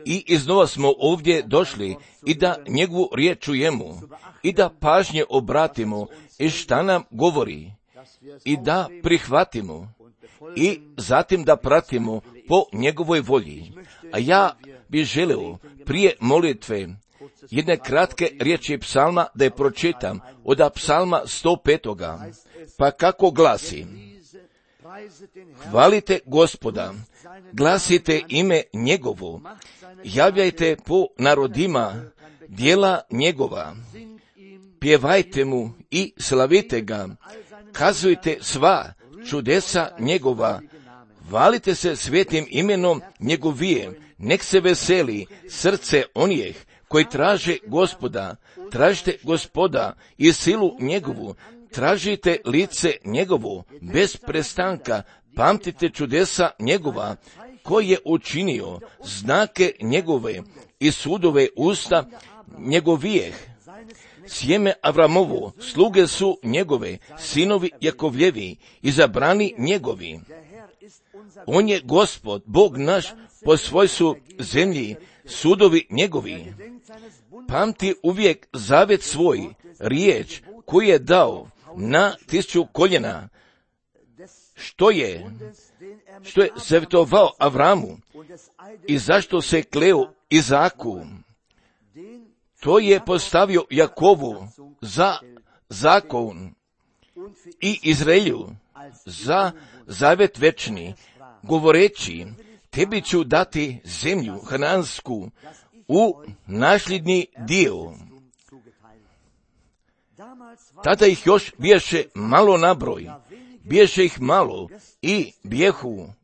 I iznova smo ovdje došli i da njegovu riječ čujemo i da pažnje obratimo i šta nam govori i da prihvatimo i zatim da pratimo po njegovoj volji. A ja bih želeo prije molitve jedne kratke riječi psalma da je pročitam od psalma 105. Pa kako glasi: hvalite Gospoda, glasite ime njegovo, javljajte po narodima djela njegova, pjevajte mu i slavite ga, kazujte sva čudesa njegova, hvalite se svetim imenom njegovijem, nek se veseli srce onih koji traže Gospoda, tražite Gospoda i silu njegovu, tražite lice njegovo bez prestanka, pamtite čudesa njegova, koji je učinio znake njegove i sudove usta njegovijeh. Sjeme Avramovo, sluge su njegove, sinovi Jakovljevi, izabrani njegovi. On je Gospod, Bog naš, po svojstvu zemlji, sudovi njegovi. Pamti uvijek zavet svoj, riječ koju je dao na 1000 koljena, što je savjetovao Avramu i zašto se kleo Izaku. To je postavio Jakovu za zakon i Izraelju za zavet večni, govoreći: tebi ću dati zemlju hanansku u nasljedni dio. Tada ih još biješe malo nabroj, biješe ih malo i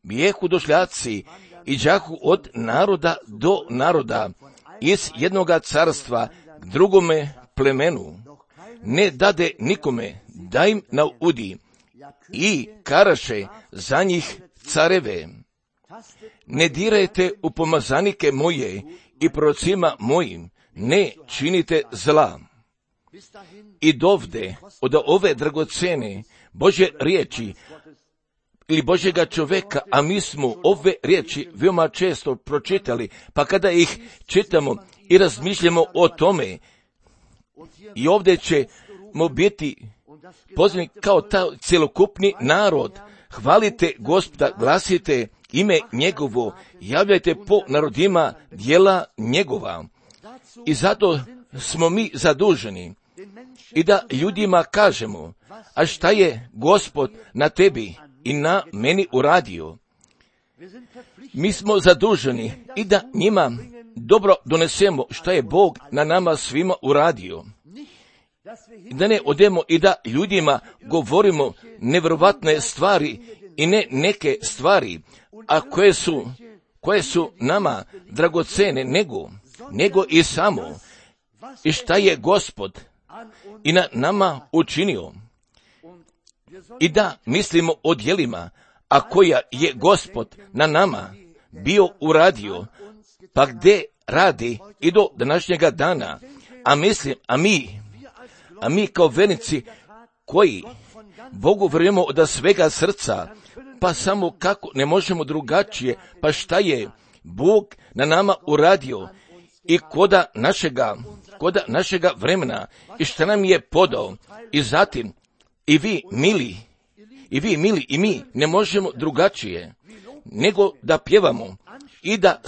bijehu došljaci i đahu od naroda do naroda, iz jednoga carstva k drugome plemenu. Ne dade nikome da im naudi i karaše za njih careve. Ne dirajte u pomazanike moje i prorocima mojim, ne činite zla. I dovde, od ove dragocene Božje riječi ili Božjega čovjeka, a mi smo ove riječi veoma često pročitali, pa kada ih čitamo i razmišljamo o tome, i ovdje ćemo biti pozvani kao taj cjelokupni narod: hvalite Gospoda, glasite ime njegovo, javljajte po narodima djela njegova. I zato smo mi zaduženi i da ljudima kažemo: a šta je Gospod na tebi i na meni uradio? Mi smo zaduženi i da njima dobro donesemo šta je Bog na nama svima uradio. I da ne odemo i da ljudima govorimo nevjerovatne stvari i ne neke stvari, a koje su nama dragocene, nego i samo i šta je Gospod i na nama učinio. I da mislimo o djelima, a koja je Gospod na nama bio uradio, pa gdje radi i do današnjega dana. A mi kao vernici koji Bogu vjerujemo od svega srca, pa samo kako ne možemo drugačije, pa šta je Bog na nama uradio i koda našega vremena i šta nam je podao. I zatim i vi mili i mi ne možemo drugačije nego da pjevamo i da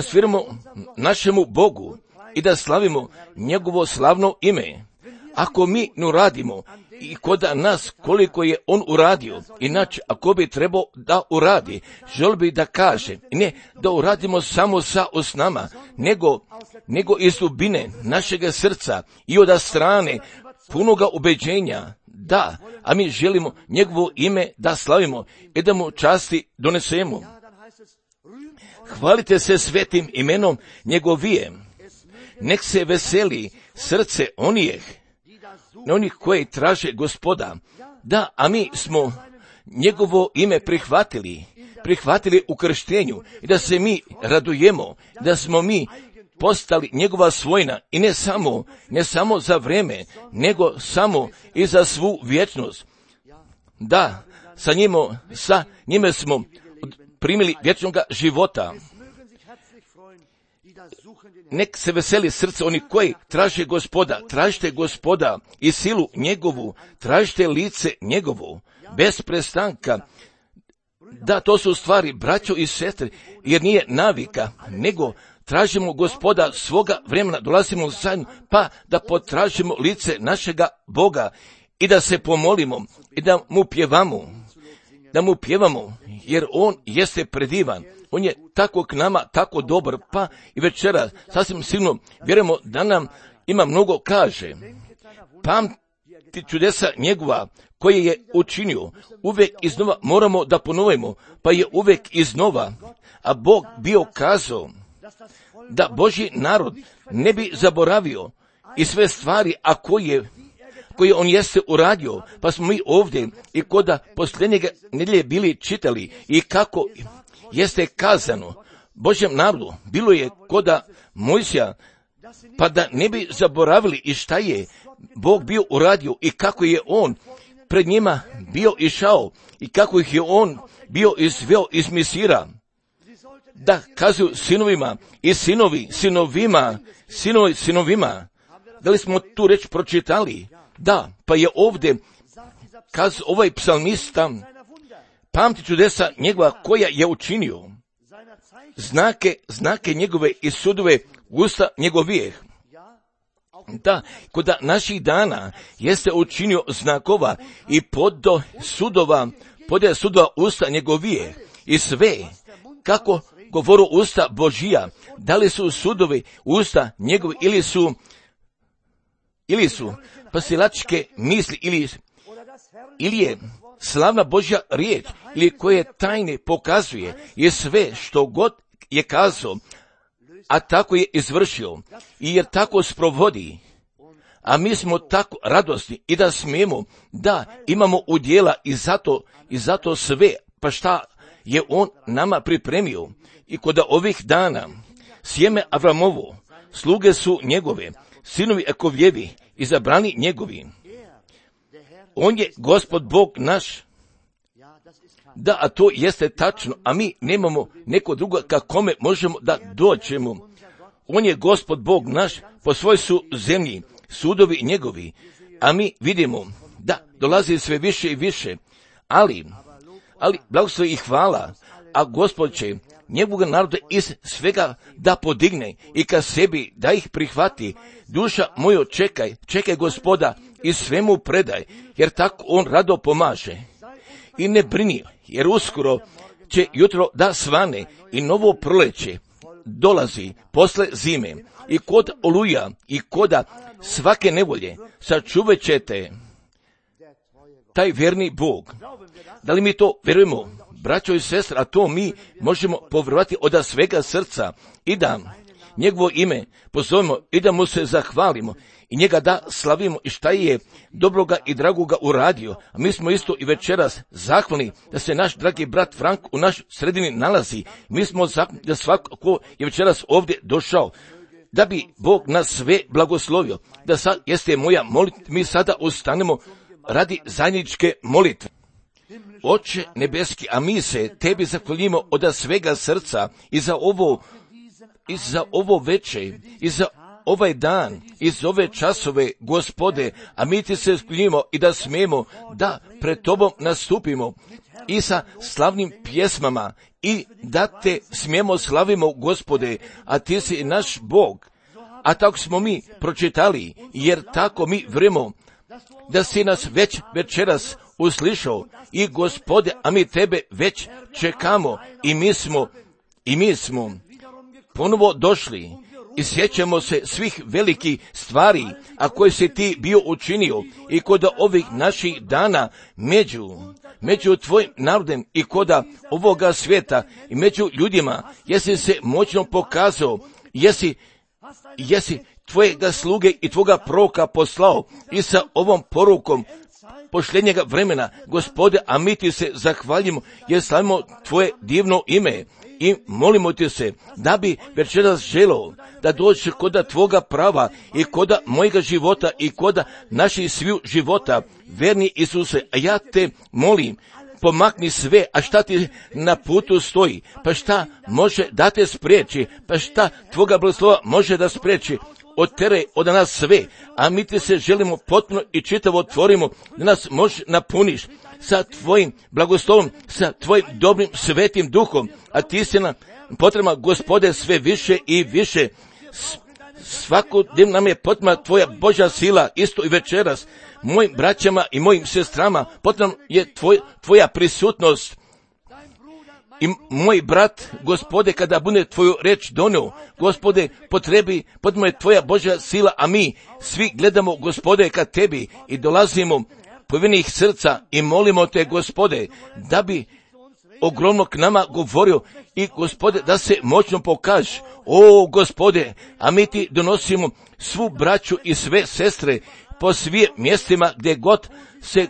sviramo našemu Bogu i da slavimo njegovo slavno ime. Ako mi ne uradimo i kod nas koliko je on uradio, inače ako bi trebao da uradi, želio bi da kaže, ne da uradimo samo sa osnama, nego iz dubine našega srca i od strane punoga ubeđenja, da, a mi želimo njegovo ime da slavimo i da mu časti donesemo. Hvalite se svetim imenom njegovijem, nek se veseli srce onih koji traže Gospoda. Da, a mi smo njegovo ime prihvatili u krštenju i da se mi radujemo, da smo mi postali njegova svojina i ne samo za vreme, nego samo i za svu vječnost. Da, sa njime smo primili vječnoga života. Nek se veseli srce oni koji traže Gospoda, tražite Gospoda i silu njegovu, tražite lice njegovu, bez prestanka. Da, to su stvari, braćo i sestre, jer nije navika, nego tražimo Gospoda svoga vremena, dolazimo zajedno, pa da potražimo lice našega Boga i da se pomolimo i da mu pjevamo, jer On jeste predivan. On je tako k nama, tako dobar, pa i večera sasvim sigurno vjerujemo da nam ima mnogo kaže. Pamti čudesa njegova koje je učinio, uvijek iznova moramo da ponovimo, pa je uvijek iznova, a Bog bio kazao da Božji narod ne bi zaboravio i sve stvari, a koje on jeste uradio, pa smo mi ovdje i koda posljednjega nedjelje bili čitali i kako jeste kazano Božjem narodu, bilo je koda Mojsija, pa da ne bi zaboravili i šta je Bog bio uradio i kako je On pred njima bio išao i kako ih je On bio izveo iz Misira, da kazuju sinovima i sinovima. Da li smo tu reč pročitali? Da, pa je ovdje ovaj psalmista pamti čudesa njegova koja je učinio, znake njegove i sudove usta njegovijeh. Da, kod naših dana jeste učinio znakova i podje sudova usta njegovije i sve, kako govoru usta Božija, da li su sudovi usta njegovi ili su pasilačke misli ili je slavna Božja riječ ili koje tajne pokazuje i sve što god je kazao, a tako je izvršio i jer tako sprovodi, a mi smo tako radosni i da smijemo da imamo udjela i zato sve, pa šta je On nama pripremio i kod ovih dana sjeme Avramovo, sluge su njegove, sinovi Jakovljevi, izabrani njegovi. On je Gospod Bog naš. Da, a to jeste tačno, a mi nemamo neko drugo ka kome možemo da dođemo. On je Gospod Bog naš, po svoj su zemlji, sudovi njegovi, a mi vidimo da dolazi sve više i više, ali blagoslovi i hvala, a Gospod će njegovoga naroda iz svega da podigne i ka sebi da ih prihvati. Duša moja, čekaj Gospoda i svemu predaj, jer tako On rado pomaže. I ne brini, jer uskoro će jutro da svane i novo proleće dolazi posle zime i kod oluja i koda svake nevolje sačuvat ćete taj vjerni Bog. Da li mi to vjerujemo, braćo i sestre, a to mi možemo povjerovati od svega srca i da njegovo ime pozovemo i da mu se zahvalimo i njega da slavimo i šta je dobroga i dragoga uradio. A mi smo isto i večeras zahvalni da se naš dragi brat Frank u naš sredini nalazi. Mi smo zahvalni da svako ko je večeras ovdje došao, da bi Bog nas sve blagoslovio. Da sad jeste moja molitva, mi sada ustanemo radi zajedničke molitve. Oče nebeski, a mi se tebi zahvaljujemo od svega srca i za ovo veče, i za ovaj dan, i za ove časove, Gospode, a mi ti se zahvaljujemo i da smijemo da pred tobom nastupimo i sa slavnim pjesmama i da te smijemo slavimo, Gospode, a ti si naš Bog. A tako smo mi pročitali, jer tako mi vremo da si nas već večeras uslišao i Gospode, a mi tebe već čekamo i mi smo ponovo došli i sjećamo se svih velikih stvari, a koje si ti bio učinio i kod ovih naših dana među tvojim narodem i kod ovoga svijeta i među ljudima, jesi se moćno pokazao, jesi tvojega sluge i tvoga proroka poslao i sa ovom porukom posljednjega vremena, Gospode, a mi ti se zahvaljimo jer slavimo tvoje divno ime i molimo ti se da bi večeras želeo da dođe koda tvoga prava i koda mojega života i koda naših sviju života, verni Isuse, a ja te molim pomakni sve, a šta ti na putu stoji, pa šta može da te spriječi, pa šta tvoga blagoslova može da spriječi, oteraj od nas sve, a mi ti se želimo potpuno i čitavo otvorimo, da nas možeš napuniš sa tvojim blagoslovom, sa tvojim dobrim svetim duhom, a ti si nam potrebna, Gospode, sve više i više. Svakodnevno nam je potrebna tvoja Božja sila, isto i večeras. Mojim braćama i mojim sestrama potrebna je tvoja prisutnost. I moj brat, Gospode, kada bude tvoju reč donio, Gospode, potrebna je tvoja Božja sila, a mi svi gledamo, Gospode, ka tebi i dolazimo povjerenih srca i molimo te, Gospode, da bi ogromno k nama govorio i, Gospode, da se moćno pokaže. O, Gospode, a mi ti donosimo svu braću i sve sestre po svim mjestima gdje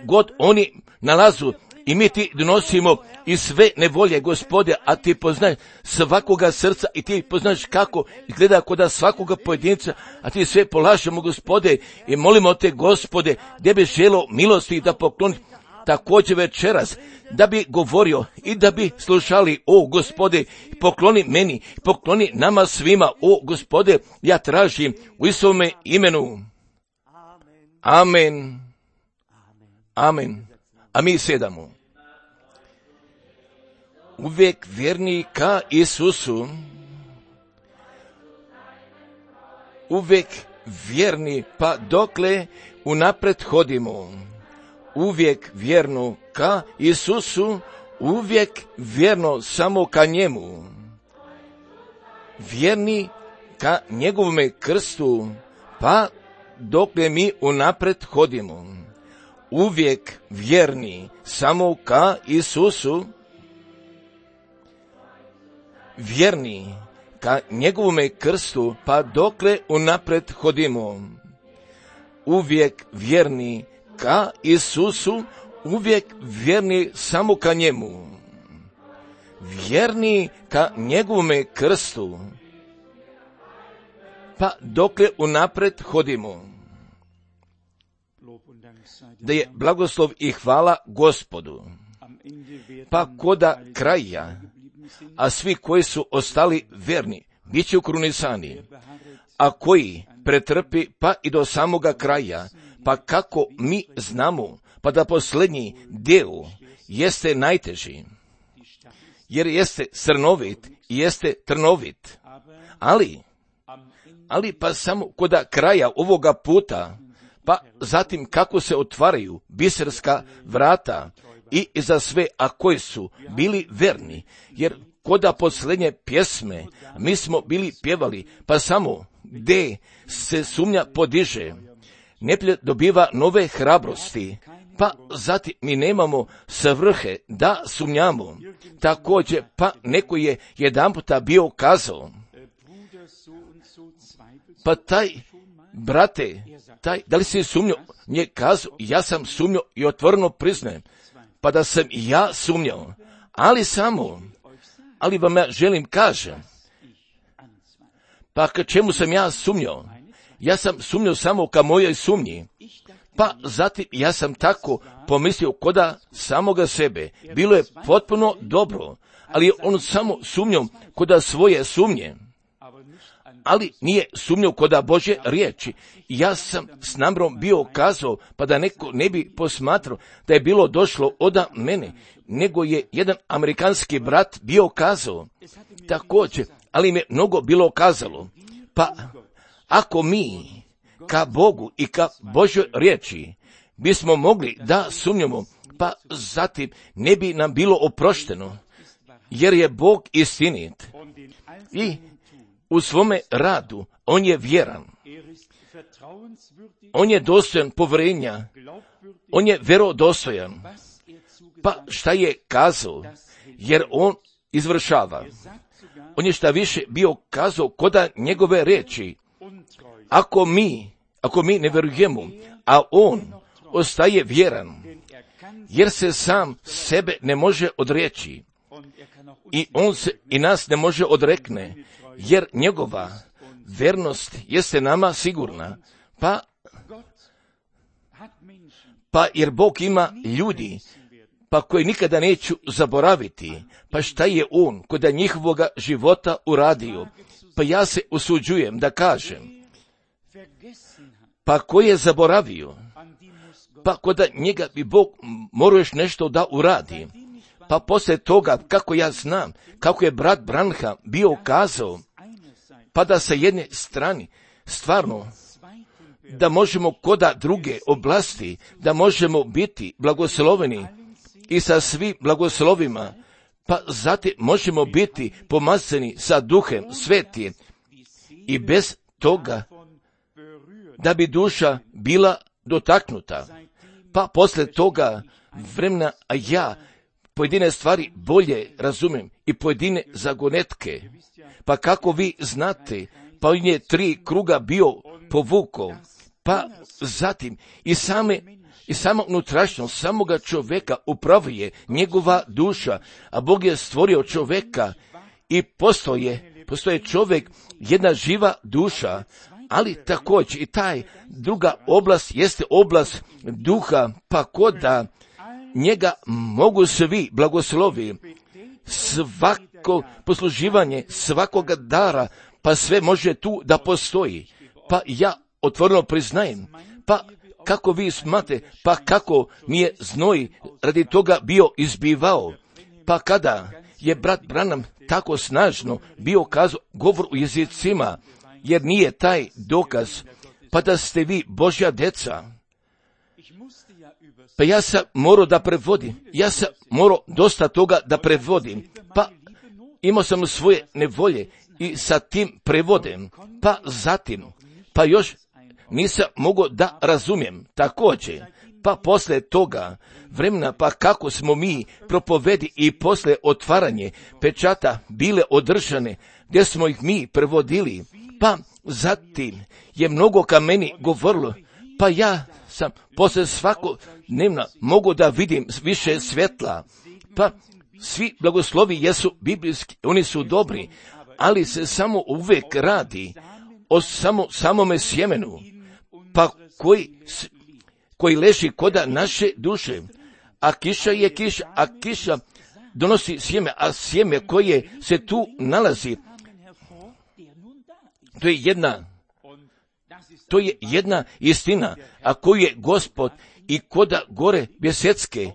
god oni nalazu, i mi ti donosimo i sve nevolje, Gospode, a ti poznaš svakoga srca i ti poznaš kako izgleda kod svakoga pojedinca, a ti sve polažemo, Gospode, i molimo te, Gospode, gdje bi želio milosti da pokloni također večeras, da bi govorio i da bi slušali, o Gospode, pokloni meni, pokloni nama svima, o Gospode, ja tražim u Isovome imenu. Amen. Amen. A mi sedamo. Uvijek vjerni ka Isusu, uvijek vjerni pa dokle unapred hodimo, uvijek vjerno ka Isusu, uvijek vjerno samo ka njemu, vjerni ka njegovome krstu, pa dokle mi unapred hodimo, uvijek vjerni samo ka Isusu, vjerni ka njegovome krstu, pa dokle unapred hodimo, uvijek vjerni ka Isusu, uvijek vjerni samo ka njemu, vjerni ka njegovome krstu, pa dokle unapred hodimo. Da je blagoslov i hvala Gospodu. Pa koda kraja, a svi koji su ostali verni, bit će ukrunisani, a koji pretrpi pa i do samoga kraja, pa kako mi znamo, pa da posljednji dio jeste najteži, jer jeste srnovit i jeste trnovit, ali pa samo koda kraja ovoga puta, pa zatim kako se otvaraju biserska vrata i za sve, a koji su bili verni, jer koda posljednje pjesme mi smo bili pjevali, pa samo gdje se sumnja podiže, neprijatelj dobiva nove hrabrosti, pa zatim mi nemamo svrhe da sumnjamo. Također, pa neko je jedanputa bio kazao, pa taj brate, da li si sumnjao? Nije kazao, ja sam sumnjao i otvoreno priznajem, pa da sam i ja sumnjao, ali vam ja želim kažem, pa ka čemu sam ja sumnjao? Ja sam sumnjao samo ka mojoj sumnji, pa zatim ja sam tako pomislio koda samoga sebe. Bilo je potpuno dobro, ali on samo sumnjao koda svoje sumnje, ali nije sumnjao koda Božje riječi. Ja sam s namjerom bio kazao, pa da neko ne bi posmatrao da je bilo došlo od mene, nego je jedan amerikanski brat bio kazao također, ali mi je mnogo bilo kazalo. Pa ako mi ka Bogu i ka Božjoj riječi bismo mogli da sumnjamo, pa zatim ne bi nam bilo oprošteno, jer je Bog istinit i u svome radu on je vjeran, on je dostojan povjerenja, on je vjerodostojan, pa šta je kazao, jer on izvršava. On je šta više bio kazao koda njegove riječi, ako mi ne vjerujemo, a on ostaje vjeran, jer se sam sebe ne može odreći i on se i nas ne može odrekne, jer njegova vernost jeste nama sigurna, pa jer Bog ima ljudi pa koji nikada neću zaboraviti, pa šta je on kod njihovoga života uradio, pa ja se usuđujem da kažem, pa ko je zaboravio, pa kod njega bi Bog morao još nešto da uradi, pa poslije toga, kako ja znam, kako je brat Branham bio kazao, pa da sa jedne strane, stvarno, da možemo koda druge oblasti, da možemo biti blagosloveni i sa svim blagoslovima, pa zatim možemo biti pomazani sa Duhem Svetim i bez toga da bi duša bila dotaknuta. Pa poslije toga vremena, a ja pojedine stvari bolje razumijem i pojedine zagonetke. Pa kako vi znate, pa on je 3 kruga bio povukao, pa zatim i sama unutrašnjost samoga čovjeka upravuje njegova duša, a Bog je stvorio čovjeka i postoje čovjek, jedna živa duša, ali također i taj druga oblast jeste oblast duha, pa koda njega mogu svi blagoslovi, svako posluživanje, svakoga dara, pa sve može tu da postoji. Pa ja otvoreno priznajem, pa kako vi smate, pa kako mi je znoj radi toga bio izbivao, pa kada je brat Branham tako snažno bio kazao govor u jezicima, jer nije taj dokaz, pa da ste vi Božja deca. Pa ja sam morao da prevodim, ja sam morao dosta toga da prevodim, pa imao sam svoje nevolje i sa tim prevodem, pa zatim, pa još nisam mogao da razumijem također, pa poslije toga vremena, pa kako smo mi propovedi i poslije otvaranje pečata bile održane, gdje smo ih mi prevodili, pa zatim je mnogo ka meni govorilo, pa ja sam poslije svakodnevna mogu da vidim više svjetla, pa svi blagoslovi jesu biblijski, oni su dobri, ali se samo uvijek radi o samome sjemenu, pa koji leži koda naše duše, a kiša je kiša, a kiša donosi sjeme, a sjeme koje se tu nalazi, to je jedna istina, a koju je Gospod i koda gore Bjesetske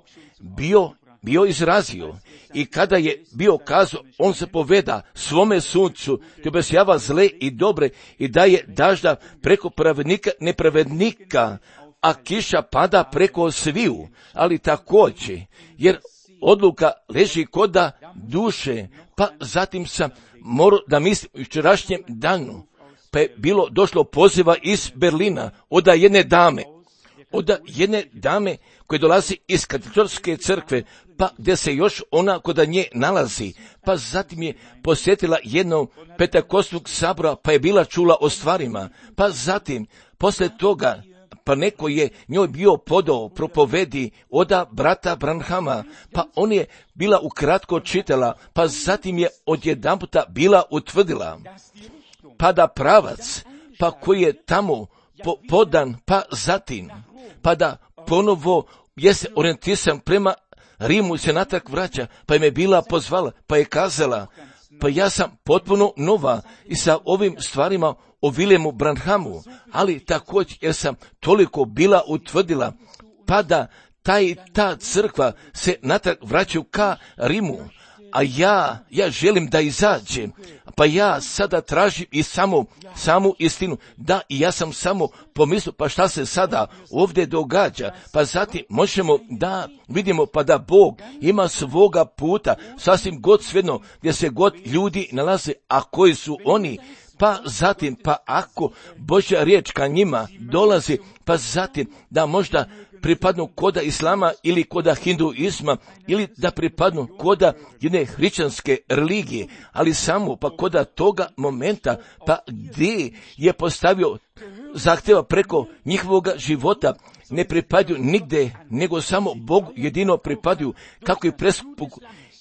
bio izrazio. I kada je bio kazao, on se poveda svome suncu, te obasjava zle i dobre i daje dažda preko pravednika, nepravednika, a kiša pada preko sviju, ali također, jer odluka leži koda duše, pa zatim sam morao da mislim u včerašnjem danu, pa je došlo poziva iz Berlina od jedne dame koje dolazi iz katoličke crkve, pa gdje se još ona kod nje nalazi, pa zatim je posjetila jednog Pentekostnog sabora, pa je bila čula o stvarima, pa zatim, poslije toga, pa neko je njoj bio podao propovedi oda brata Branhama, pa on je bila ukratko čitala, pa zatim je odjedanputa bila utvrdila, pa da pravac, pa koji je tamo podan, pa zatim, pa da ponovo jeste orijentisan prema Rimu se natrag vraća, pa im je bila pozvala, pa je kazala, pa ja sam potpuno nova i sa ovim stvarima o Viljemu Branhamu, ali također jer sam toliko bila utvrdila, pa da ta crkva se natrag vraćaju ka Rimu, a ja želim da izađe, pa ja sada tražim i samu istinu. Da, i ja sam samo pomislio, pa šta se sada ovdje događa, pa zatim možemo da vidimo pa da Bog ima svoga puta, sasvim god svejedno gdje se god ljudi nalaze, a koji su oni, pa zatim, pa ako Božja riječ ka njima dolazi, pa zatim da možda pripadnu koda islama ili koda hinduizma ili da pripadnu koda jedne hrišćanske religije, ali samo pa koda toga momenta, pa gdje je postavio zahtjeva preko njihovoga života, ne pripadaju nigde, nego samo Bogu jedino pripadaju, kako je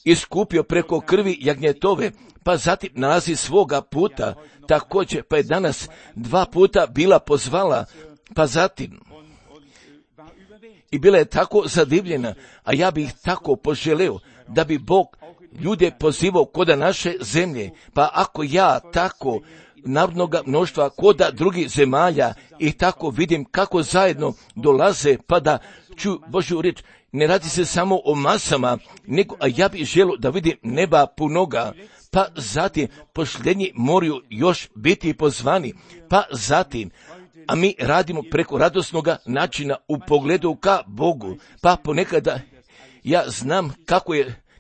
iskupio preko krvi jagnjetove, pa zatim nalazi svoga puta, također pa je danas 2 puta bila pozvala, pa zatim i bila je tako zadivljena, a ja bih tako poželeo da bi Bog ljude pozivao koda naše zemlje, pa ako ja tako narodnoga mnoštva koda drugih zemalja i tako vidim kako zajedno dolaze pa da čuju Božju riječ, ne radi se samo o masama, nego a ja bih želio da vidim neba punoga, pa zatim posljednji moraju još biti pozvani, pa zatim, a mi radimo preko radosnoga načina u pogledu ka Bogu, pa ponekada ja znam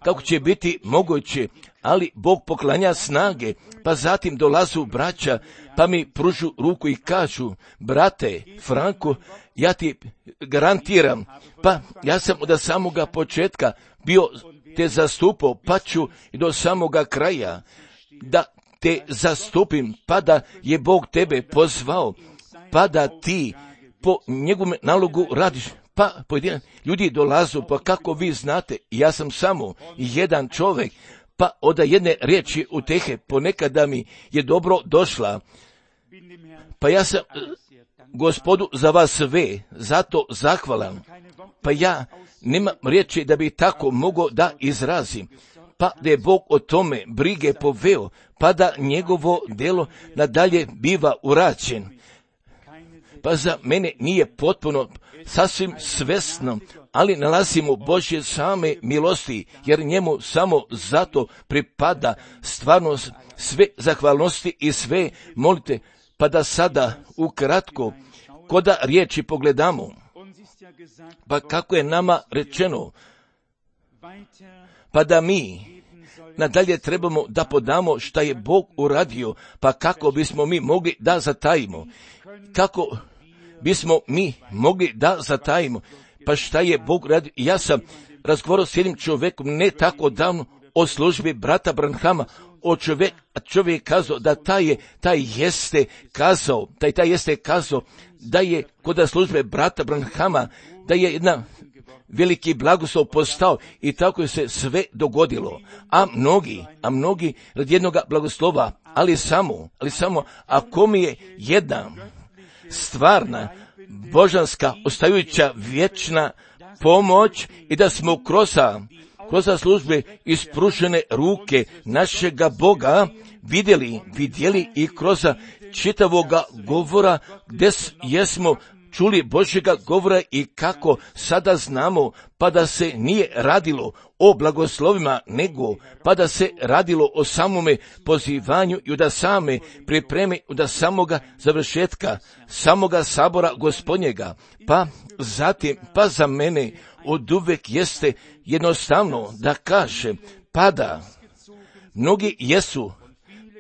kako će biti moguće, ali Bog poklanja snage, pa zatim dolazu braća, pa mi pružu ruku i kažu, brate Franko, ja ti garantiram, pa ja sam od samoga početka bio te zastupao, pa ću i do samoga kraja da te zastupim, pa da je Bog tebe pozvao, pa da ti po njegovom nalogu radiš. Pa pojedini ljudi dolazu, pa kako vi znate, ja sam samo jedan čovjek, pa od jedne riječi utehe ponekada mi je dobro došla, pa ja sam Gospodu za vas sve, zato zahvalan, pa ja nemam riječi da bi tako mogao da izrazim, pa da je Bog o tome brige poveo, pa da njegovo djelo nadalje biva urađen. Pa za mene nije potpuno sasvim svesno, ali nalazimo Božje same milosti, jer njemu samo zato pripada stvarno sve zahvalnosti i sve molite, pa da sada ukratko koda riječi pogledamo. Pa kako je nama rečeno, pa da mi nadalje trebamo da podamo šta je Bog uradio, pa kako bismo mi mogli da zatajimo, kako bismo mi mogli da zatajimo, pa šta je Bog uradio. Ja sam razgovarao s jednim čovjekom ne tako davno o službi brata Branhama, čovjek kazao da taj jeste kazao da je kod službe brata Branhama, da je jedna veliki blagoslov postao i tako je se sve dogodilo. A mnogi radi jednoga blagoslova, ali samo, ako mi je jedna stvarna, božanska, ostajuća, vječna pomoć i da smo kroz službe ispružene ruke našega Boga vidjeli i kroz čitavoga govora gdje jesmo čuli Božjega govora i kako sada znamo, pa da se nije radilo o blagoslovima, nego pa da se radilo o samome pozivanju i da same pripreme, da samoga završetka, samoga sabora Gospodnjega. Pa zatim, pa za mene oduvek jeste jednostavno da kažem, pa da mnogi jesu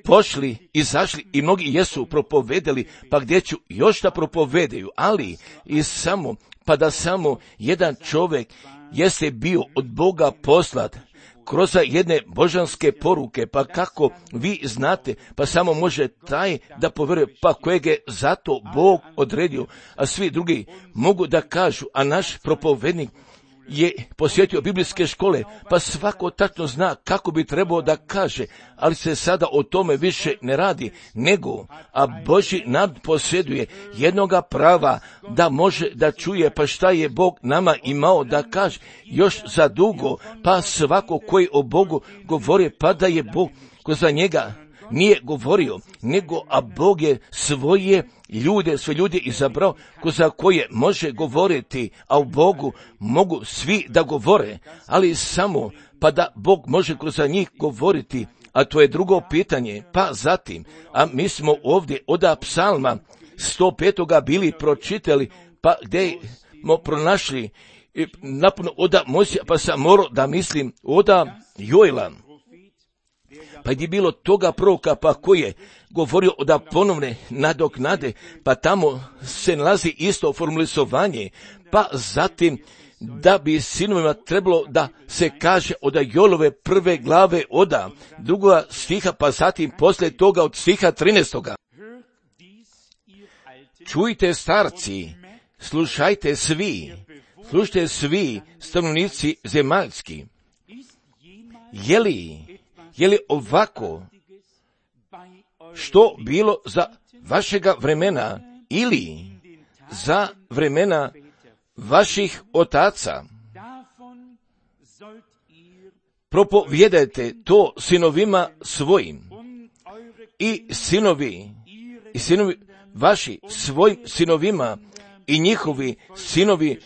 pošli, izašli i mnogi jesu propovedali, pa gdje ću još da propovedaju, ali i samo, pa da samo jedan čovjek jeste bio od Boga poslat kroz jedne božanske poruke, pa kako vi znate, pa samo može taj da povjeruje, pa kojeg je zato Bog odredio, a svi drugi mogu da kažu, a naš propovednik je posjetio biblijske škole, pa svako tačno zna kako bi trebao da kaže, ali se sada o tome više ne radi, nego, a Božji narod posjeduje jednoga prava da može da čuje, pa šta je Bog nama imao da kaže još za dugo, pa svako koji o Bogu govori, pa da je Bog ko za njega nije govorio, nego a Bog je sve ljude izabrao ko za koje može govoriti, a u Bogu mogu svi da govore, ali samo pa da Bog može kroz njih govoriti, a to je drugo pitanje. Pa zatim, a mi smo ovdje od psalma 105. bili pročitali, pa gdje smo pronašli napuno od Mojsija, pa sam morao da mislim od Joela. Pa je bilo toga proroka, pa koji je govorio da ponovne nadoknade, pa tamo se nalazi isto formulisovanje, pa zatim da bi sinovima trebalo da se kaže od Joelove 1. glave od 2. stiha, pa zatim poslije toga od stiha 13. Čujte starci, slušajte svi stanovnici zemaljski. Je li ovako što bilo za vašega vremena ili za vremena vaših otaca. Propovijedajte to sinovima svojim i sinovi vaši svojim sinovima i njihovi sinovi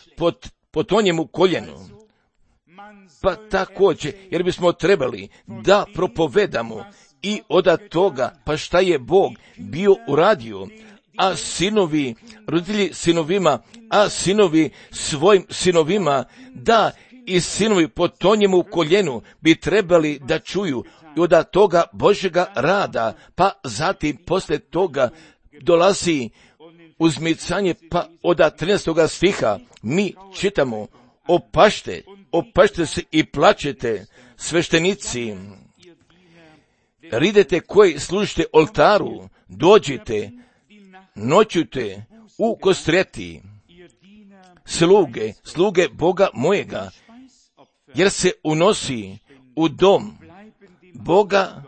po tonjemu koljenu. Pa također, jer bismo trebali da propovedamo i od toga, pa šta je Bog bio uradio, a sinovi, roditelji sinovima, a sinovi svojim sinovima, da i sinovi po tonjemu koljenu bi trebali da čuju i od toga Božjega rada, pa zatim poslije toga dolazi uzmicanje, pa od 13. stiha mi čitamo: opašte se i plačete, sveštenici, ridete koji služite oltaru, dođite, noćujte u kostreti, sluge Boga mojega, jer se unosi u dom Boga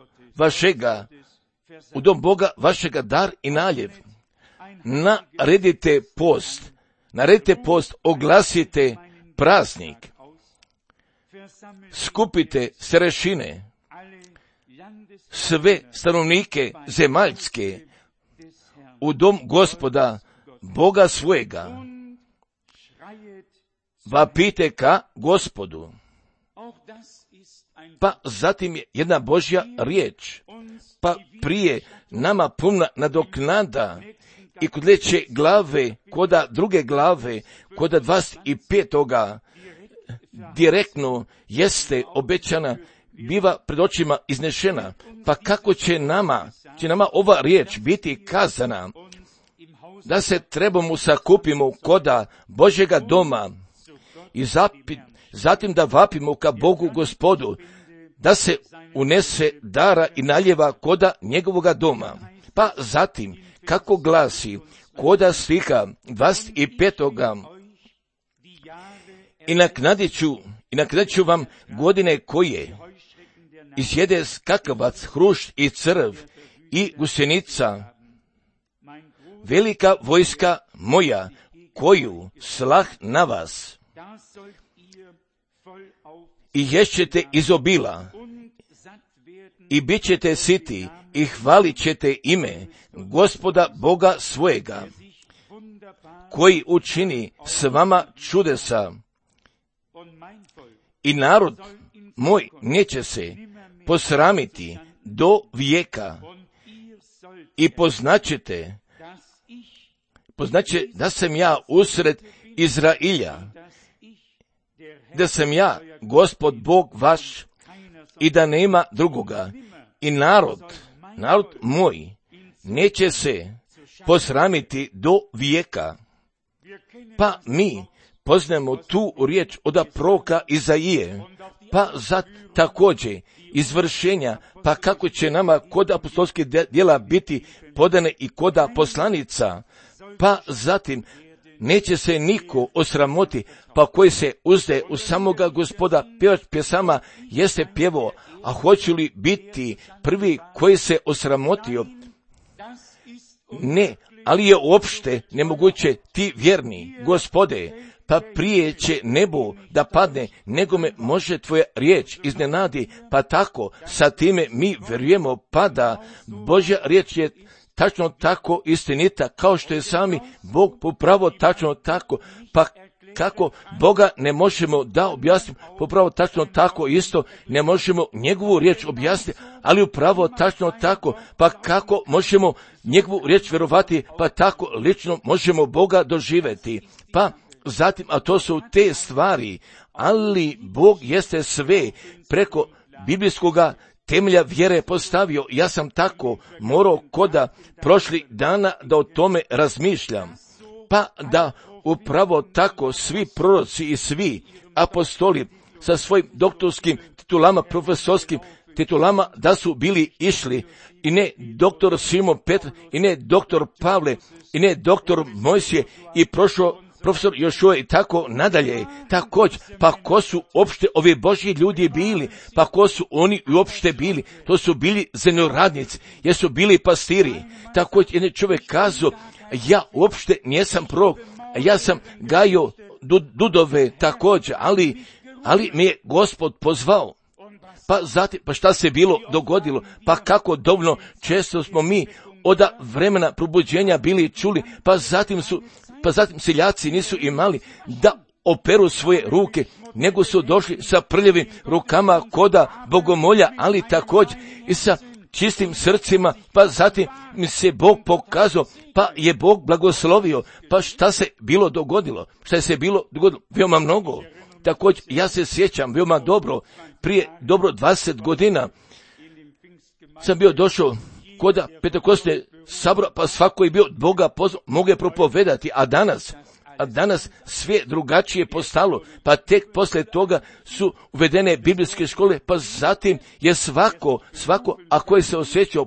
vašega dar i naljev. Naredite post, oglasite praznik, skupite starešine, sve stanovnike zemaljske u dom Gospoda Boga svojega, vapite ka Gospodu. Pa zatim je jedna Božja riječ, pa prije nama puna nadoknada i kod leće glave, koda druge glave, koda 25. direktno jeste obećana, biva pred očima iznešena. Pa kako će nama ova riječ biti kazana, da se trebamo sakupimo koda Božjega doma i zatim da vapimo ka Bogu Gospodu, da se unese dara i naljeva koda njegovoga doma. Pa zatim, kako glasi koda stiha 25. I naknadit ću vam godine koje izjede skakavac, hrušt i crv i gusenica, velika vojska moja, koju slah na vas. I ješćete iz obila, i bit ćete siti, i hvalit ćete ime Gospoda Boga svojega, koji učini s vama čudesa. I narod moj neće se posramiti do vijeka. I poznaće da sam ja usred Izrailja, da sam ja Gospod Bog vaš i da nema drugoga. I narod moj neće se posramiti do vijeka. Pa mi poznajemo tu riječ od proroka Izaije, pa također izvršenja, pa kako će nama kod apostolskih djela biti podane i koda poslanica, pa zatim neće se niko osramoti, pa koji se uzde u samoga Gospoda. Pjevač pjesama jeste pjevo, a hoće li biti prvi koji se osramotio? Ne, ali je uopšte nemoguće, ti vjerni Gospode, pa prije će nebo da padne, nego me može tvoja riječ iznenadi, pa tako sa time mi vjerujemo, pa da Božja riječ je tačno tako istinita, kao što je sami Bog popravo tačno tako, pa kako Boga ne možemo da objasnimo, popravo tačno tako isto, ne možemo njegovu riječ objasniti, ali upravo tačno tako, pa kako možemo njegovu riječ vjerovati, pa tako lično možemo Boga doživjeti. Pa zatim, a to su te stvari, ali Bog jeste sve preko biblijskoga temelja vjere postavio. Ja sam tako morao koda prošlih dana da o tome razmišljam, pa da upravo tako svi proroci i svi apostoli sa svojim doktorskim titulama, profesorskim titulama, da su bili išli, i ne doktor Simon Petr, i ne doktor Pavle, i ne doktor Mojsije, i prošao profesor Jošua i tako nadalje. Također, pa ko su opšte ovi Božji ljudi bili, pa ko su oni uopšte bili? To su bili zemljoradnici, jer su bili pastiri. Također, jedan čovjek kazao, ja uopšte nisam prorok, ja sam gajio dudove također, ali me je Gospod pozvao. Pa zatim, pa šta se bilo dogodilo? Pa kako dovoljno često smo mi od vremena probuđenja bili čuli, pa zatim seljaci nisu imali da operu svoje ruke, nego su došli sa prljavim rukama koda bogomolja, ali također i sa čistim srcima, pa zatim mi se Bog pokazao, pa je Bog blagoslovio. Pa šta se bilo dogodilo? Šta se bilo dogodilo? Veoma mnogo. Također, ja se sjećam veoma dobro, prije dobro 20 godina sam bio došao koda Pentekostne sabora, pa svako je bio Boga pozvao, mogu je propovedati, a danas sve drugačije postalo, pa tek poslije toga su uvedene biblijske škole, pa zatim je svako, a koji se osjećao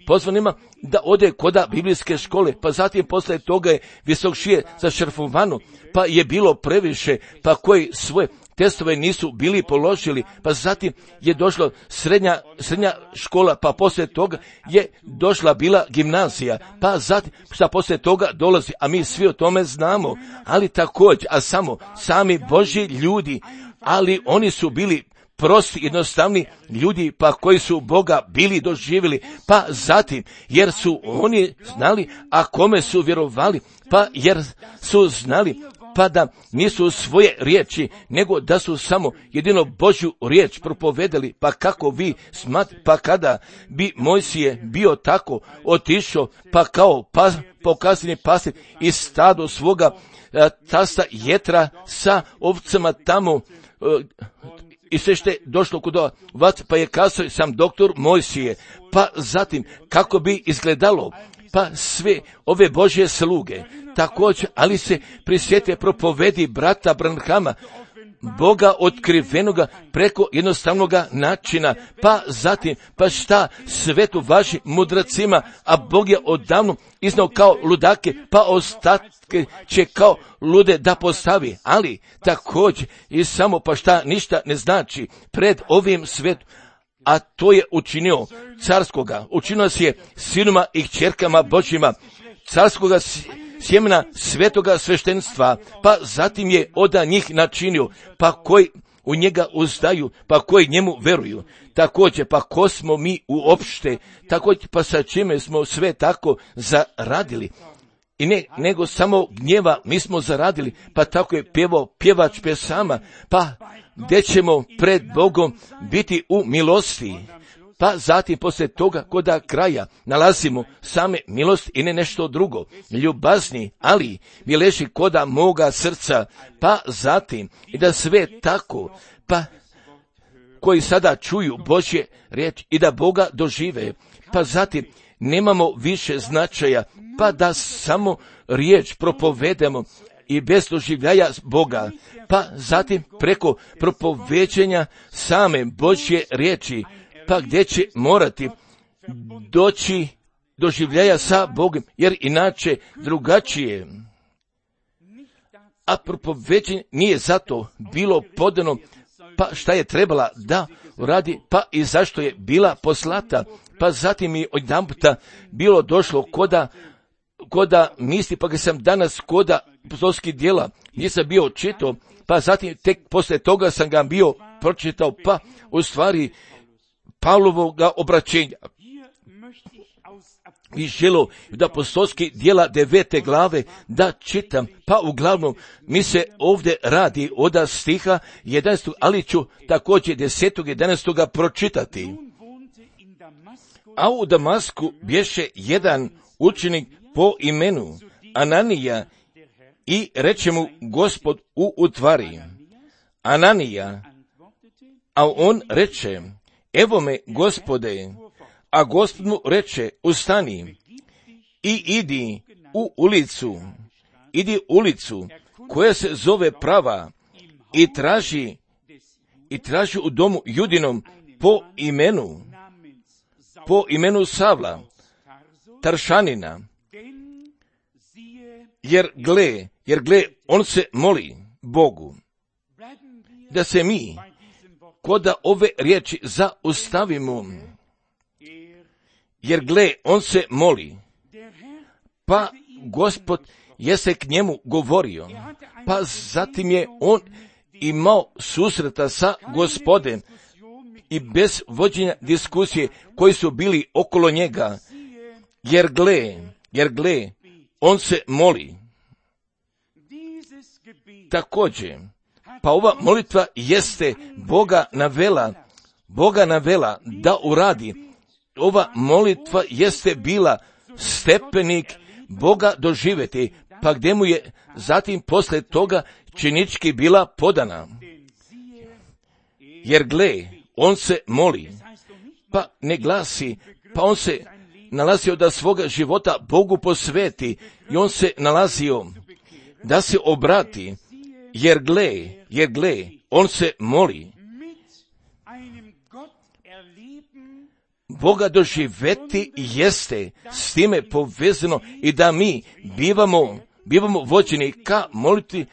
pozvanima da ode koda biblijske škole, pa zatim poslije toga je visokšije za šrfovanu, pa je bilo previše, pa koji svoje testove nisu bili položili, pa zatim je došla srednja škola, pa poslije toga je došla bila gimnazija, pa zatim šta poslije toga dolazi, a mi svi o tome znamo, ali također, a sami Božji ljudi, ali oni su bili prosti, jednostavni ljudi, pa koji su Boga bili doživjeli, pa zatim, jer su oni znali, a kome su vjerovali, pa jer su znali, pa da nisu svoje riječi, nego da su samo jedino Božju riječ propovedali, pa kako vi pa kada bi Mojsije bio tako otišao, pa kao pokazani pastir i stado svoga tasta Jetra sa ovcama tamo, i sve što je došlo kod vas, pa je kazao sam doktor Mojsije, pa zatim kako bi izgledalo, pa sve ove Božje sluge, također, ali se prisjete propovedi brata Branhama, Boga otkrivenoga preko jednostavnoga načina, pa zatim, pa šta svetu važi mudracima, a Bog je odavno iznao kao ludake, pa ostatke će kao lude da postavi, ali također i samo pa šta ništa ne znači pred ovim svetom, a to je učinio carskoga, učinio se je sinuma i kćerkama Božjima, carskoga sjemena svetoga sveštenstva, pa zatim je od njih načinio, pa koji u njega uzdaju, pa koji njemu veruju. Također, pa ko smo mi uopšte, također, pa sa čime smo sve tako zaradili. I ne, nego samo gnjeva mi smo zaradili, pa tako je pjevao pjevač pjesama, pa gdje ćemo pred Bogom biti u milosti. Pa zatim poslije toga koda kraja nalazimo same milost i ne nešto drugo, ljubazni, ali mi leži koda moga srca, pa zatim i da sve tako, pa koji sada čuju Božje riječ i da Boga dožive, pa zatim nemamo više značaja, pa da samo riječ propovedemo i bez doživljaja Boga, pa zatim preko propoveđenja same Božje riječi, pa gdje će morati doći doživljaja sa Bogom, jer inače drugačije. A propoveđenje nije zato bilo podano, pa šta je trebala da uradi, pa i zašto je bila poslata, pa zatim je odjedanputa bilo došlo koda misli, pa ga sam danas koda apostolskih djela nisam bio čitao, pa zatim tek poslije toga sam ga bio pročitao, pa u stvari Pavlovoga obraćenja. I želo da apostolskih djela 9. glave da čitam, pa uglavnom mi se ovdje radi od stiha 11. ali ću također 10. 11. pročitati. A u Damasku bješe jedan učenik po imenu Ananija i reče mu Gospod u utvari: Ananija, a on reče: Evo me, Gospode. A Gospod mu reče: Ustani i idi ulicu koja se zove Prava i traži u domu Judinom po imenu Savla, Taršanina, jer gle, on se moli Bogu. Da se mi koda ove riječi zaustavimo, jer gle, on se moli, pa Gospod jeste k njemu govorio, pa zatim je on imao susreta sa Gospodem i bez vođenja diskusije koji su bili okolo njega, jer gle, on se moli. Također, pa ova molitva jeste Boga navela da uradi. Ova molitva jeste bila stepenik Boga doživjeti, pa gdje mu je zatim posle toga činički bila podana. Jer gle, on se moli, pa ne glasi, pa on se nalazio da svoga života Bogu posveti i on se nalazio da se obrati, jer gle, on se moli. Boga doživeti jeste s time povezano i da mi bivamo vođeni ka molitvi.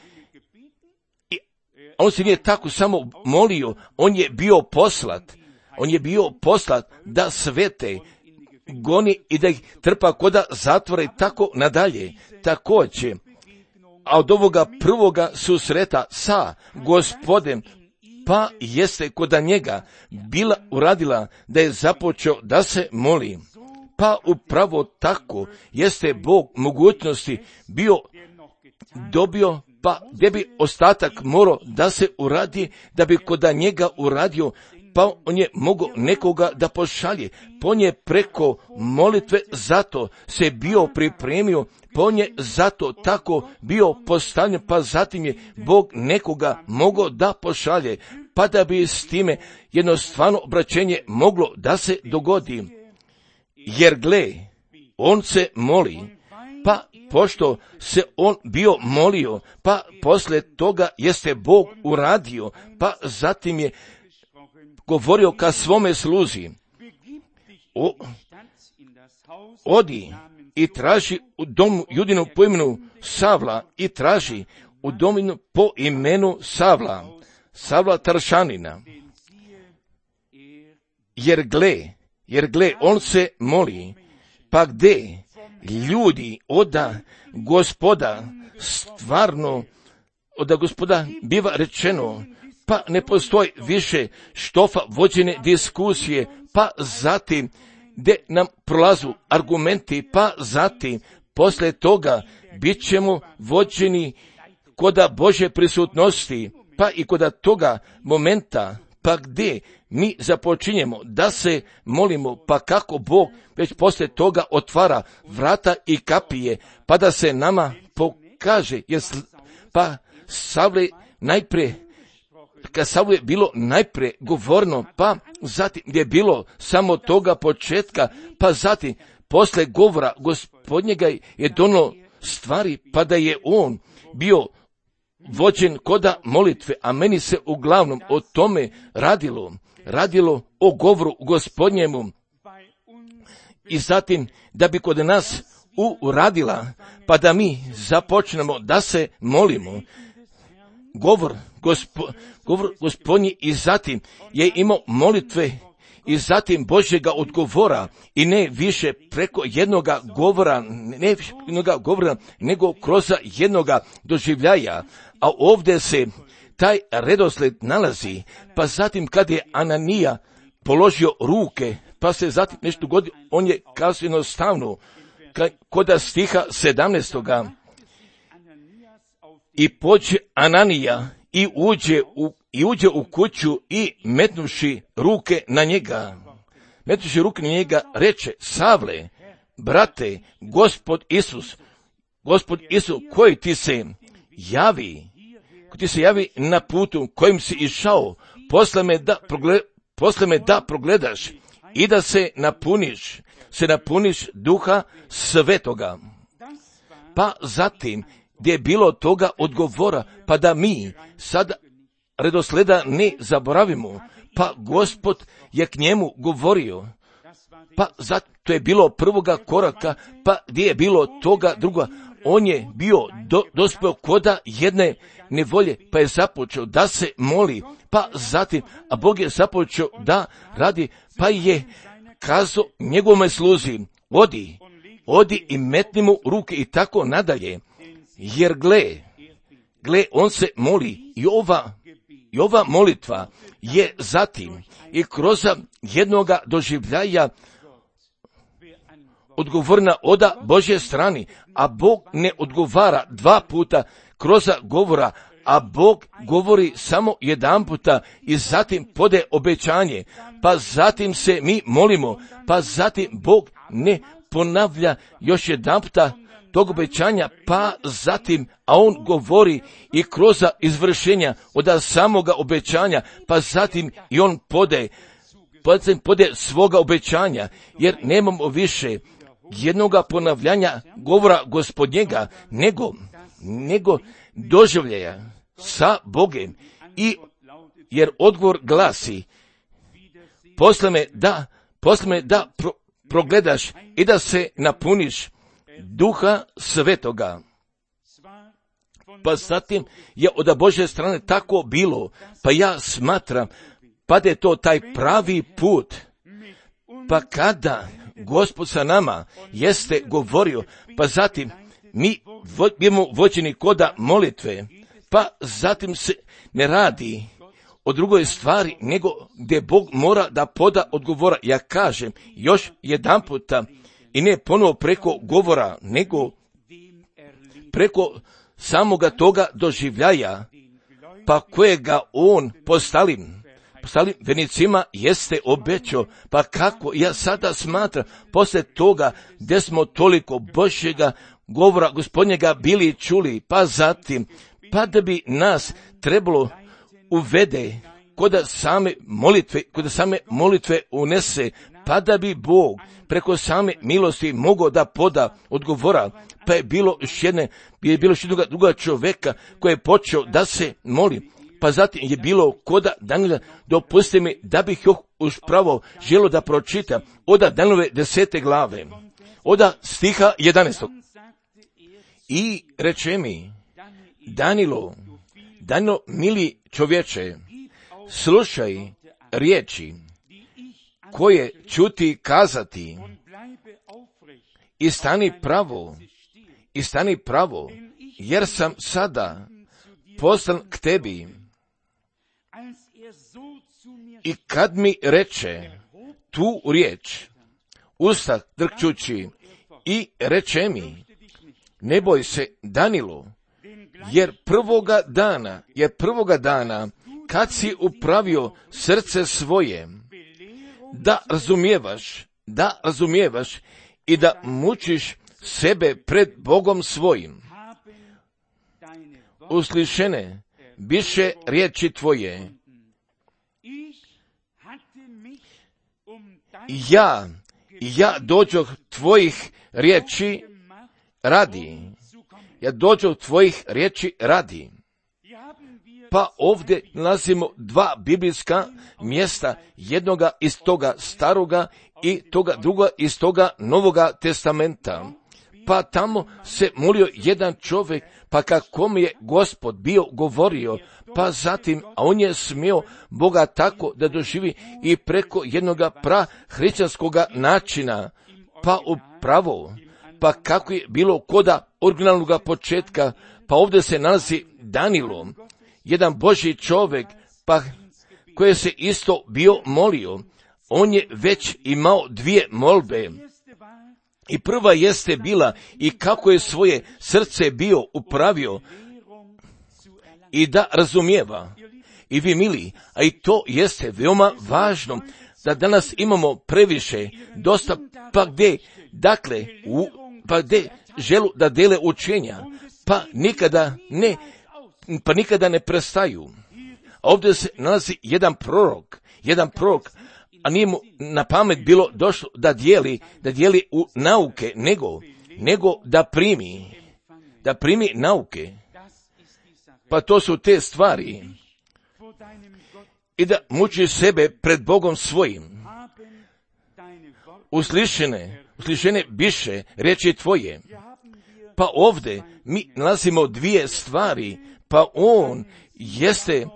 On se nije tako samo molio, on je bio poslat da svete goni i da ih trpa koda zatvora i tako nadalje. Također, a od ovoga prvoga susreta sa Gospodem, pa jeste koda njega bila uradila da je započeo da se moli. Pa upravo tako jeste Bog mogućnosti dobio, pa gdje bi ostatak morao da se uradi, da bi koda njega uradio, pa on je mogao nekoga da pošalje. Pa on je preko molitve zato se bio pripremio, pa on je zato tako bio postavljen, pa zatim je Bog nekoga mogao da pošalje, pa da bi s time jedno stvarno obraćenje moglo da se dogodi. Jer gle, on se moli, pa pošto se on bio molio, pa posle toga jeste Bog uradio, pa zatim je govorio ka svome sluzi, odi i traži u domu Judinu po imenu Savla i traži u domu po imenu Savla Taršanina. Jer gle, on se moli, pa gde ljudi oda Gospoda stvarno, oda Gospoda biva rečeno, pa ne postoji više štofa vođene diskusije, pa zatim gdje nam prolazu argumenti, pa zatim posle toga bit ćemo vođeni koda Božje prisutnosti, pa i koda toga momenta, pa gdje mi započinjemo da se molimo, pa kako Bog već posle toga otvara vrata i kapije, pa da se nama pokaže, pa Savle najprije, kad Savlu je bilo najprije govorno, pa zatim gdje je bilo samo toga početka, pa zatim posle govora Gospodnjega je donio stvari, pa da je on bio vođen koda molitve, a meni se uglavnom o tome radilo o govoru Gospodnjemu. I zatim da bi kod nas uradila, pa da mi započnemo da se molimo. Govor Gospodnji i zatim je imao molitve i zatim Božjega odgovora i ne više preko jednoga govora, nego kroz jednoga doživljaja. A ovdje se taj redosled nalazi, pa zatim kad je Ananija položio ruke, pa se zatim nešto godilo, on je kazao jednostavno, koda stiha 17. I pođe Ananija i uđe u kuću i metnuši ruke na njega, reče: Savle, brate, Gospod Isus, koji ti se javi na putu kojim si išao, posle me da progledaš i da se napuniš Duha Svetoga. Pa zatim, gdje je bilo toga odgovora, pa da mi sad redosleda ne zaboravimo, pa Gospod je k njemu govorio, pa zato je bilo prvoga koraka, pa gdje je bilo toga druga, on je bio dospeo koda jedne nevolje, pa je započeo da se moli, pa zatim, a Bog je započeo da radi, pa je kazao njegovome sluzi: odi i metni mu ruke i tako nadalje. jer gle, on se moli i ova molitva je zatim i kroz jednoga doživljaja odgovorna oda Božje strani, a Bog ne odgovara dva puta kroz govora, a Bog govori samo jedan puta i zatim pode obećanje, pa zatim se mi molimo, pa zatim Bog ne ponavlja još jedan puta tog obećanja, pa zatim, a on govori i kroz izvršenja od samoga obećanja, pa zatim i on pode svoga obećanja, jer nemamo više jednoga ponavljanja govora Gospodnjega, nego doživljaja sa Bogem, i jer odgovor glasi, posle me da progledaš i da se napuniš Duha Svetoga. Pa zatim je od Božje strane tako bilo, pa ja smatram, pa da je to taj pravi put, pa kada Gospod sa nama jeste govorio, pa zatim mi budemo vođeni koda molitve, pa zatim se ne radi o drugoj stvari, nego gdje Bog mora da poda odgovora. Ja kažem još jedan puta, i ne ponovo preko govora, nego preko samoga toga doživljaja, pa kojega on postalim vernicima jeste obećao. Pa kako ja sada smatram, poslije toga gdje smo toliko Božjega govora Gospodnjega bili čuli, pa zatim, pa da bi nas trebalo uvede kod same molitve unese, pa da bi Bog preko same milosti mogao da poda odgovora, pa je bilo još jednog druga čovjeka koji je počeo da se moli, pa zatim je bilo koda Danila. Dopustite mi da bih još uspravo želio da pročitam od Danilove 10. glave, od stiha 11. I reče mi, Danilo, mili čovječe, slušaj riječi koje ću ti kazati i stani pravo, jer sam sada poslan k tebi. I kad mi reče tu riječ, usta drkčući, i reče mi, ne boj se, Danilo, jer prvoga dana kad si upravio srce svoje, da razumijevaš i da mučiš sebe pred Bogom svojim, uslišene biše riječi tvoje. Ja dođoh tvojih riječi radi. Pa ovdje nalazimo dva biblijska mjesta, jednoga iz toga staroga i toga druga iz toga Novoga testamenta. Pa tamo se molio jedan čovjek, pa kako mi je Gospod bio govorio, pa zatim, a on je smio Boga tako da doživi i preko jednoga hrišćanskoga načina, pa upravo, pa kako je bilo koda originalnog početka, pa ovdje se nalazi Danilo, jedan Božji čovjek, pa koji se isto bio molio. On je već imao dvije molbe. I prva jeste bila i kako je svoje srce bio upravio i da razumijeva. I vi mili, a i to jeste veoma važno, da danas imamo previše, dosta, pa gdje želu da dele učenja, pa nikada ne prestaju. A ovdje se nalazi jedan prorok, a nije mu na pamet bilo došlo da dijeli u nauke, nego da primi nauke. Pa to su te stvari. I da muči sebe pred Bogom svojim. Uslišene biše riječi tvoje. Pa ovdje mi nalazimo dvije stvari. Pa on jeste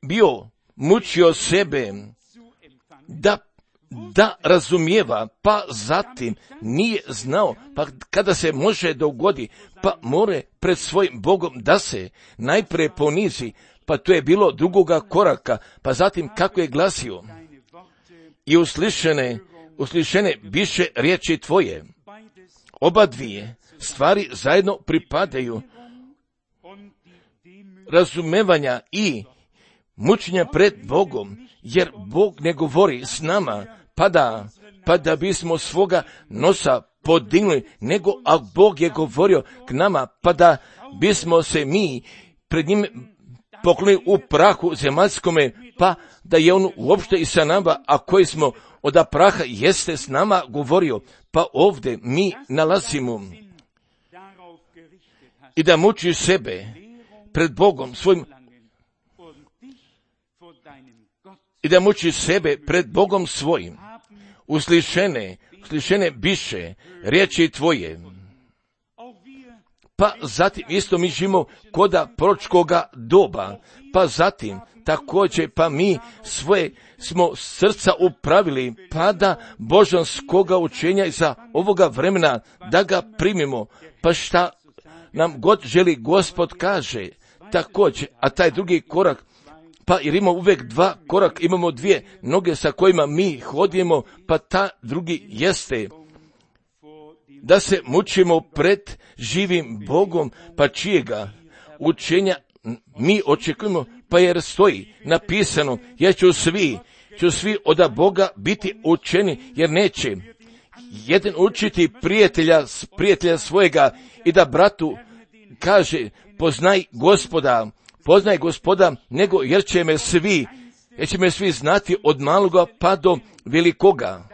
bio mučio sebe da da razumijeva, pa zatim nije znao, pa kada se može dogodi, pa more pred svojim Bogom da se najprije ponizi, pa to je bilo drugoga koraka, pa zatim kako je glasio, i uslišene biše riječi tvoje. Oba dvije stvari zajedno pripadaju razumevanja i mučenja pred Bogom, jer Bog ne govori s nama, pa da bismo svoga nosa podignuli, nego a Bog je govorio k nama, pa da bismo se mi pred njim poklonili u prahu zemaljskome, pa da je on uopšte i sa nama, a koji smo od praha jeste s nama govorio, pa ovdje mi nalazimo i da muči sebe pred Bogom svojim, i da muči sebe pred Bogom svojim. Uslišene biše riječi tvoje. Pa zatim isto mi živimo koda proročkoga doba, pa zatim također pa mi svoje smo srca upravili, pa da božanskoga učenja iza ovoga vremena da ga primimo, pa šta nam god želi Gospod kaže također, a taj drugi korak, pa jer imamo uvijek dva koraka, imamo dvije noge sa kojima mi hodimo, pa ta drugi jeste da se mučimo pred živim Bogom, pa čijega učenja mi očekujemo, pa jer stoji napisano, ja ću svi od Boga biti učeni, jer neće jedan učiti prijatelja svojega i da bratu kaže poznaj Gospoda, nego jer će me svi znati od maloga pa do velikoga.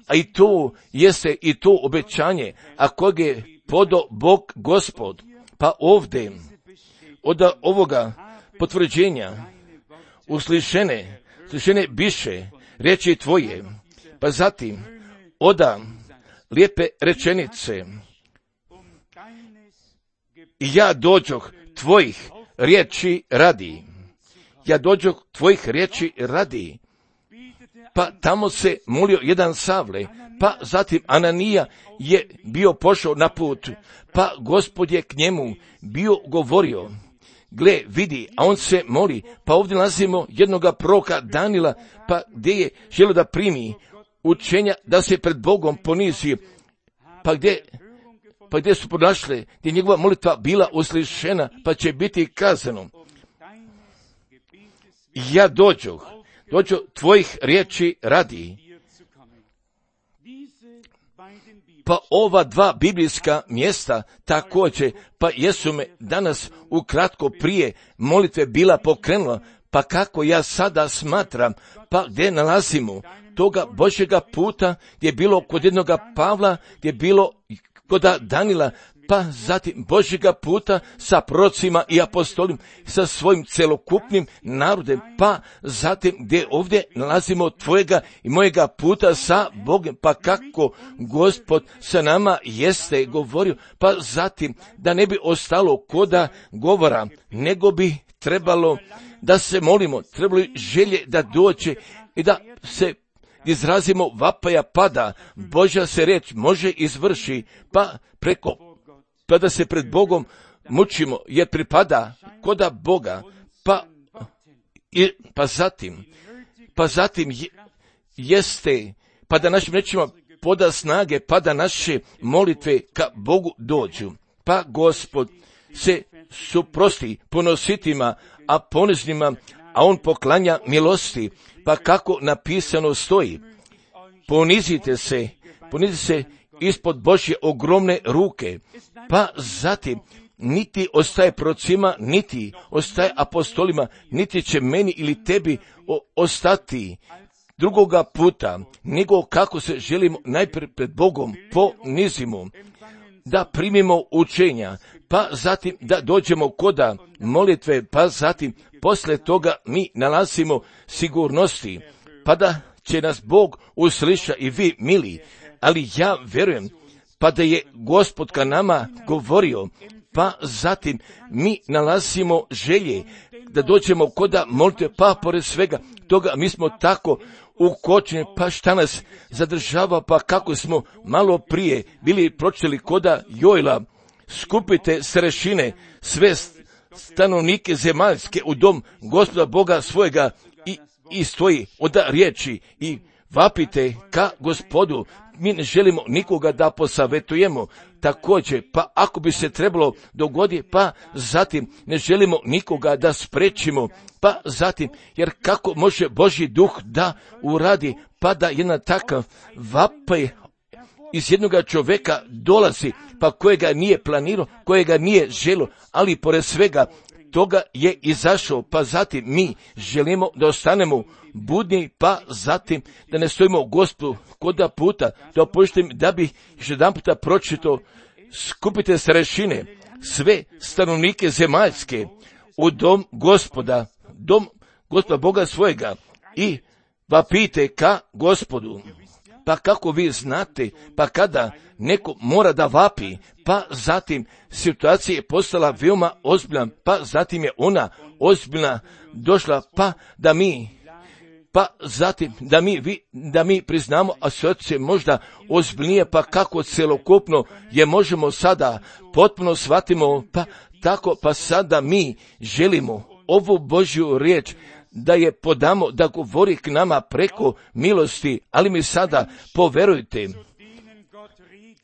A i to jeste i to obećanje, a kog je podo Bog Gospod. Pa ovdje od ovoga potvrđenja uslišene biše riječi tvoje, pa zatim oda lijepe rečenice, ja dođoh tvojih riječi radi. Pa tamo se molio jedan Savle, pa zatim Ananija je bio pošao na put, pa Gospod je k njemu bio govorio, gle, vidi, a on se moli, pa ovdje nalazimo jednoga proroka Danila, pa gdje je želio da primi učenja, da se pred Bogom ponizi, pa gdje su pronašle, gdje je njegova molitva bila uslišena, pa će biti kazano, ja dođu tvojih riječi radi. Pa ova dva biblijska mjesta također, pa jesu me danas ukratko prije molitve bila pokrenula, pa kako ja sada smatram, pa gdje nalazimo toga Božjega puta, gdje je bilo kod jednoga Pavla, gdje je bilo kod Danila, pa zatim Božjega puta sa prorocima i apostolima, sa svojim celokupnim narodem, pa zatim gdje ovdje nalazimo tvojega i mojega puta sa Bogom, pa kako Gospod sa nama jeste govorio, pa zatim da ne bi ostalo koda govora, nego bi trebalo da se molimo, trebalo želje da dođe i da se izrazimo vapaja, pada, Božja se riječ može izvrši, pa da se pred Bogom mučimo, jer pripada koda Boga, pa zatim jeste, pa da našim rečima poda snage, pa da naše molitve ka Bogu dođu. Pa Gospod se suprosti ponositima, a poniznima, a on poklanja milosti, pa kako napisano stoji, ponizite se ispod Božje ogromne ruke, pa zatim niti ostaje prorocima, niti ostaje apostolima, niti će meni ili tebi ostati drugoga puta, nego kako se želimo najprije pred Bogom ponizimo, da primimo učenja, pa zatim da dođemo koda molitve, pa zatim posle toga mi nalazimo sigurnosti, pa da će nas Bog usliša i vi mili, ali ja vjerujem, pa da je Gospod ka nama govorio, pa zatim mi nalazimo želje da dođemo koda molitve, pa pored svega toga mi smo tako ukočeni, pa šta nas zadržava, pa kako smo malo prije bili pročitali koda Joela, skupite starešine, sve stanovnike zemaljske u dom Gospoda Boga svojega i stoji od riječi i vapite ka Gospodu. Mi ne želimo nikoga da posavetujemo također, pa ako bi se trebalo dogoditi, pa zatim ne želimo nikoga da sprečimo, pa zatim, jer kako može Božji duh da uradi, pa da jedan takav vapaj iz jednoga čovjeka dolazi, pa kojega nije planirao, kojega nije želio, ali pored svega toga je izašao, pa zatim mi želimo da ostanemo budni, pa zatim da ne stojimo u Gospodu koda puta, dopuštim da bih još jedan puta pročitao, skupite starešine, sve stanovnike zemaljske u dom Gospoda Boga svojega i vapite ka Gospodu. Pa kako vi znate, pa kada neko mora da vapi, pa zatim situacija je postala veoma ozbiljna, pa zatim je ona ozbiljna došla, pa zatim da mi priznamo, a situacija možda ozbiljnije, pa kako celokupno je možemo sada potpuno shvatimo, pa tako, pa sada mi želimo ovu Božju riječ da je podamo, da govori k nama preko milosti, ali mi sada poverujte.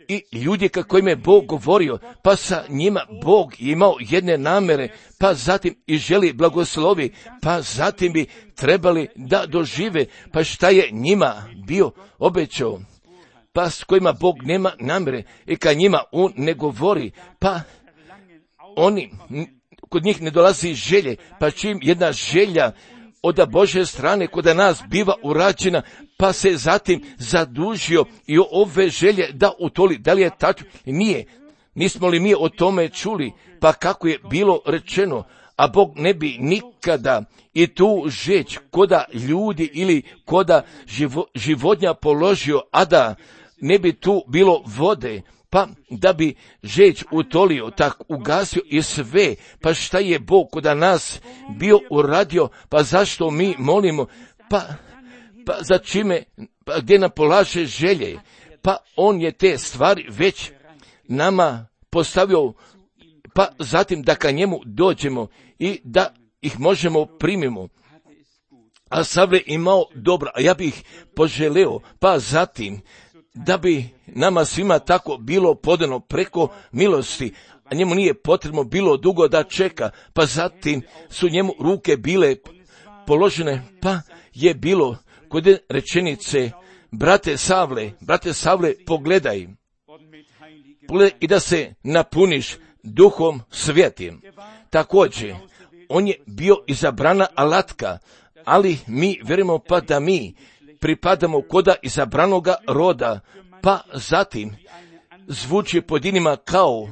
I ljudi kako im je Bog govorio, pa sa njima Bog imao jedne namere, pa zatim i želi blagoslovi, pa zatim bi trebali da dožive, pa šta je njima bio obećao, pa s kojima Bog nema namere i kad njima on ne govori, pa kod njih ne dolazi želje, pa čim jedna želja od Božje strane kod nas biva urađena, pa se zatim zadužio i ove želje da utoli. Da li je tako? Nije. Nismo li mi o tome čuli? Pa kako je bilo rečeno, a Bog ne bi nikada i tu žeć koda ljudi ili koda životinja položio, a da ne bi tu bilo vode, pa da bi žeć utolio, tak ugasio i sve, pa šta je Bog kod nas bio uradio, pa zašto mi molimo, pa za čime, pa gdje nam polaže želje, pa on je te stvari već nama postavio, pa zatim da ka njemu dođemo i da ih možemo primimo. A Savle imao dobro, a ja bih poželeo, pa zatim da bi nama svima tako bilo podano preko milosti, a njemu nije potrebno bilo dugo da čeka, pa zatim su njemu ruke bile položene, pa je bilo kod rečenice, brate Savle, pogledaj i da se napuniš Duhom Svetim. Također, on je bio izabrana alatka, ali mi vjerujemo pa da mi pripadamo koda izabranoga roda, pa zatim zvuči pojedinima kao,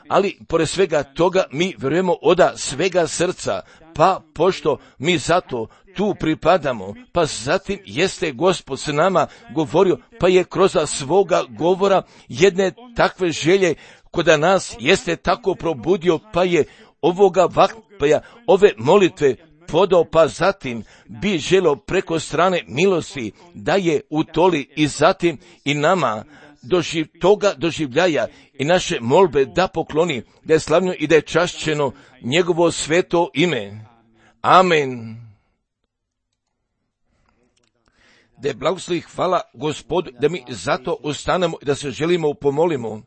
ali pored svega toga mi vjerujemo oda svega srca, pa pošto mi zato tu pripadamo, pa zatim jeste Gospod s nama govorio, pa je kroz svoga govora jedne takve želje koda nas jeste tako probudio, pa je ovoga vakpaja, ove molitve podao, pa zatim bi želio preko strane milosti da je utoli i zatim i nama toga doživljaja i naše molbe da pokloni, da je slavno i da je čašćeno njegovo sveto ime. Amen. Da je blagoslovi, hvala Gospodu, da mi zato ostanemo i da se želimo pomolimo.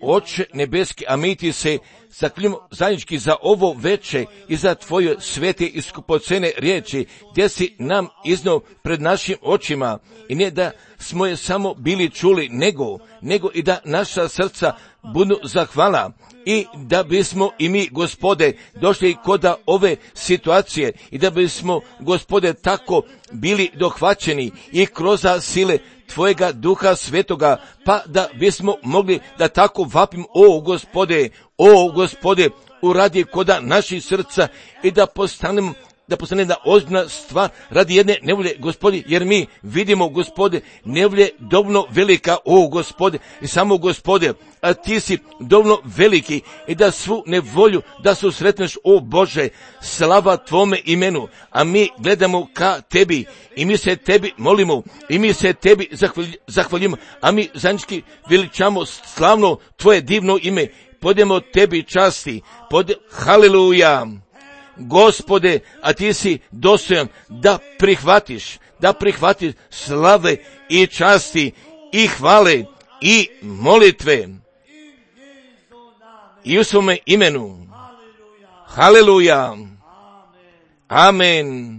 Oče nebeski, a mi ti se zaklinjamo zajednički za ovo veče i za tvoje svete i skupocene riječi, gdje si nam iznio pred našim očima, i ne da smo je samo bili čuli, nego i da naša srca budu zahvala, i da bismo i mi, Gospode, došli kod ove situacije i da bismo, Gospode, tako bili dohvaćeni i kroz sile tvojega Duha Svetoga, pa da bismo mogli da tako vapimo, o Gospode, uradi koda naših srca i da postanemo da postane jedna ozbiljna stvar radi jedne nevolje, Gospode, jer mi vidimo, Gospode, nevolje dovoljno velika, o Gospode, i samo Gospode, a ti si dovoljno veliki i da svu nevolju da susretneš, o Bože, slava tvome imenu, a mi gledamo ka tebi i mi se tebi molimo i mi se tebi zahvaljujemo, a mi zajednički veličamo slavno tvoje divno ime, podemo tebi časti, haleluja. Gospode, a ti si dostojan da prihvatiš slave i časti i hvale i molitve i u svome imenu. Haleluja. Amen.